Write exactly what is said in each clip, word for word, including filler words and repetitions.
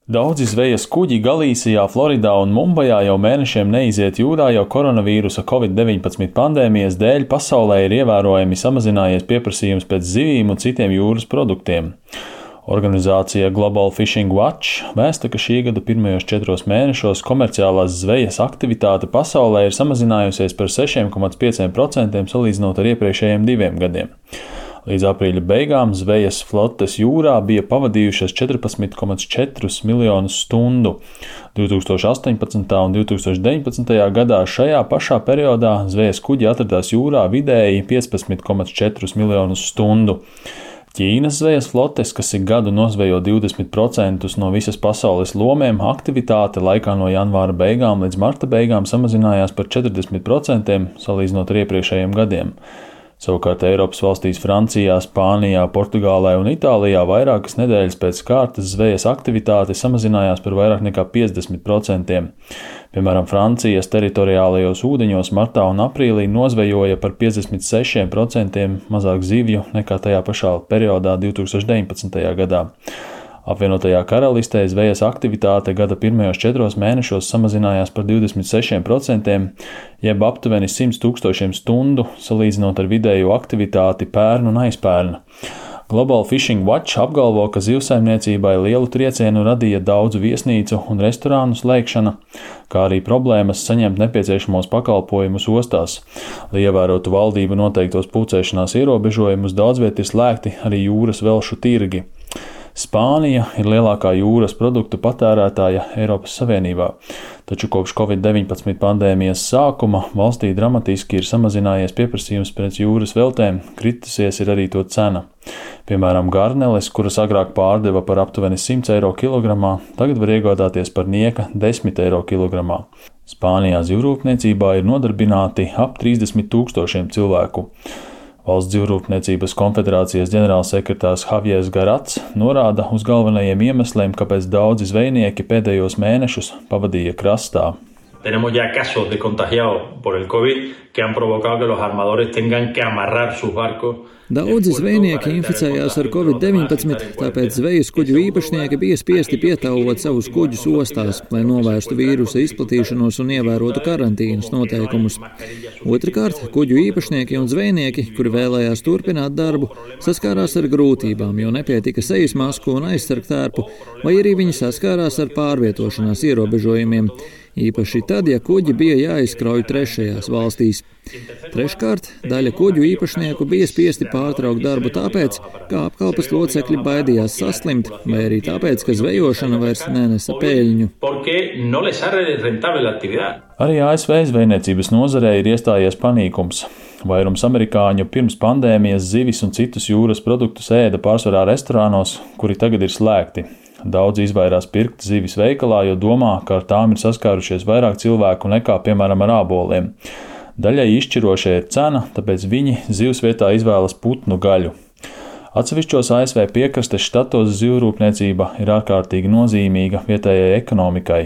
Daudzi zvejas kuģi Galīsijā, Floridā un Mumbajā jau mēnešiem neiziet jūrā, jo koronavīrusa covid deviņpadsmit pandēmijas dēļ pasaulē ir ievērojami samazinājies pieprasījums pēc zivīm un citiem jūras produktiem. Organizācija Global Fishing Watch vēsta, ka šī gada pirmajos četros mēnešos komerciālās zvejas aktivitāte pasaulē ir samazinājusies par sešiem komats pieciem procentiem salīdzinot ar iepriekšējiem diviem gadiem. Līdz aprīļa beigām zvejas flotes jūrā bija pavadījušas četrpadsmit komats četrus miljonus stundu. divi tūkstoši astoņpadsmitajā un divi tūkstoši deviņpadsmitajā gadā šajā pašā periodā zvejas kuģi atradās jūrā vidēji piecpadsmit komats četrus miljonus stundu. Ķīnas zvejas flotes, kas ik gadu nozvejo divdesmit procentus no visas pasaules lomiem, aktivitāte laikā no janvāra beigām līdz marta beigām samazinājās par četrdesmit procentiem salīdzinot ar iepriekšējiem gadiem. Savukārt Eiropas valstīs Francijā, Spānijā, Portugālē un Itālijā vairākas nedēļas pēc kārtas zvejas aktivitāte samazinājās par vairāk nekā piecdesmit procentiem. Piemēram, Francijas teritoriālajos ūdeņos martā un aprīlī nozvejoja par piecdesmit sešiem procentiem mazāk zivju nekā tajā pašā periodā divi tūkstoši deviņpadsmitajā gadā. Apvienotajā karalistē zvejas aktivitāte gada pirmajos četros mēnešos samazinājās par divdesmit sešiem procentiem, jeb aptuveni simt tūkstošiem stundu, salīdzinot ar vidējo aktivitāti pērn un aizpērn. Global Fishing Watch apgalvo, ka zivsaimniecībai lielu triecienu radīja daudzu viesnīcu un restorānu slēgšana, kā arī problēmas saņemt nepieciešamos pakalpojumus ostās. Lai ievērotu valdību noteiktos pulcēšanās ierobežojumus, daudzviet ir slēgti arī jūras velšu tirgi. Spānija ir lielākā jūras produktu patērētāja Eiropas Savienībā, taču kopš covid deviņpadsmit pandēmijas sākuma valstī dramatiski ir samazinājies pieprasījums pēc jūras veltēm, kritusies ir arī to cena. Piemēram, garneles, kuras agrāk pārdeva par aptuveni simt eiro kilogramā, tagad var iegādāties par nieka desmit eiro kilogramā. Spānijā zivrūpniecībā ir nodarbināti ap trīsdesmit tūkstošiem cilvēku. Valsts zivrūpniecības konfederācijas ģenerālsekretārs Javiers Garats norāda uz galvenajiem iemesliem, kāpēc daudzi zvejnieki pēdējos mēnešus pavadīja krastā. Tenemos ya casos de contagiados por el COVID que han provocado que los armadores tengan que amarrar sus barcos. Daudzi zvejnieki inficējās ar covid deviņpadsmit, tāpēc zvejas kuģu īpašnieki bija spiesti pietāvot savus kuģus ostās, lai novērstu vīrusa izplatīšanos un ievērotu karantīnas noteikumus. Otrakārt, kuģu īpašnieki un zvejnieki, kuri vēlējās turpināt darbu, saskārās ar grūtībām, jo nepietika sejas masku un aizsargtērpu, vai arī viņi saskārās ar pārvietošanās ierobežojumiem. Īpaši tad, ja kuģi bija jāizkrauj trešajās valstīs. Treškārt, daļa kuģu īpašnieku bija spiesti pārtraukt darbu tāpēc, ka apkalpes locekļi baidījās saslimt, vai arī tāpēc, ka zvejošana vairs nenesa peļņu. Arī A S V zvejniecības nozarē ir iestājies panīkums. Vairums amerikāņu pirms pandēmijas zivis un citus jūras produktus ēda pārsvarā restorānos, kuri tagad ir slēgti. Daudzi izvairās pirkt zivis veikalā, jo domā, ka ar tām ir saskārušies vairāk cilvēku nekā, piemēram, ar āboliem. Daļai izšķirošie ir cena, tāpēc viņi zivs vietā izvēlas putnu gaļu. Atsevišķos A S V piekrastes štatos zivrūpniecība ir ārkārtīgi nozīmīga vietējai ekonomikai.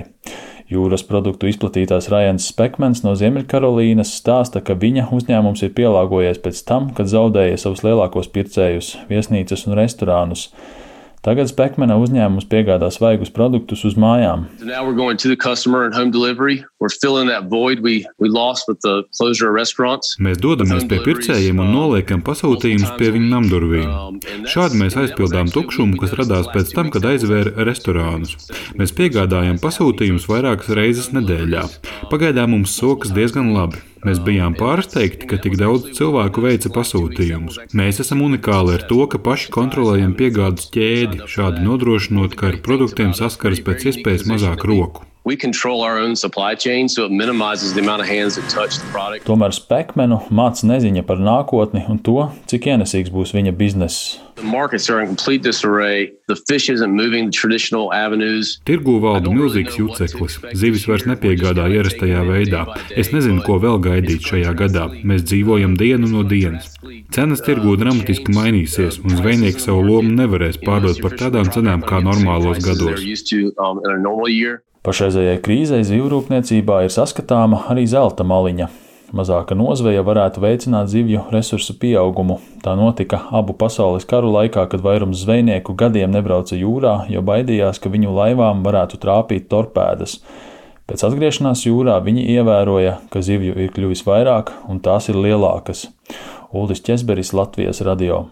Jūras produktu izplatītājs Ryans Spekmans no Ziemeļkarolīnas stāsta, ka viņa uzņēmums ir pielāgojies pēc tam, kad zaudēja savus lielākos pircējus, viesnīcas un restorānus. Tagad Spekmana uzņēmums piegādā svaigus produktus uz mājām. Mēs dodamies pie pircējiem un noliekam pasūtījumus pie viņu namdurvīm. Šādi mēs aizpildām tukšumu, kas radās pēc tam, kad aizvēra restorānus. Mēs piegādājam pasūtījumus vairākas reizes nedēļā. Pagaidām mums sokas diezgan labi. Mēs bijām pārsteigti, ka tik daudz cilvēku veica pasūtījumus. Mēs esam unikāli ar to, ka paši kontrolējam piegādes ķēdi, šādi nodrošinot, ka ar produktiem saskaras pēc iespējas mazāk roku. Tomēr Spekmanu māca neziņa par nākotni un to, cik ienesīgs būs viņa bizness. Tirgū valda milzīgs juceklis. Zivis vairs nepiegādā ierastajā veidā. Es nezinu, ko vēl gaidīt šajā gadā. Mēs dzīvojam dienu no dienas. Cenas tirgū dramatiski mainīsies, un zvejnieki savu lomu nevarēs pārdot par tādām cenām kā normālos gados. Pašreizējai krīzei zivrūpniecībā ir saskatāma arī zelta maliņa. Mazāka nozveja varētu veicināt zivju resursu pieaugumu. Tā notika abu pasaules karu laikā, kad vairums zvejnieku gadiem nebrauca jūrā, jo baidījās, ka viņu laivām varētu trāpīt torpēdas. Pēc atgriešanās jūrā viņi ievēroja, ka zivju ir kļuvis vairāk un tās ir lielākas. Uldis Česberis, Latvijas radio.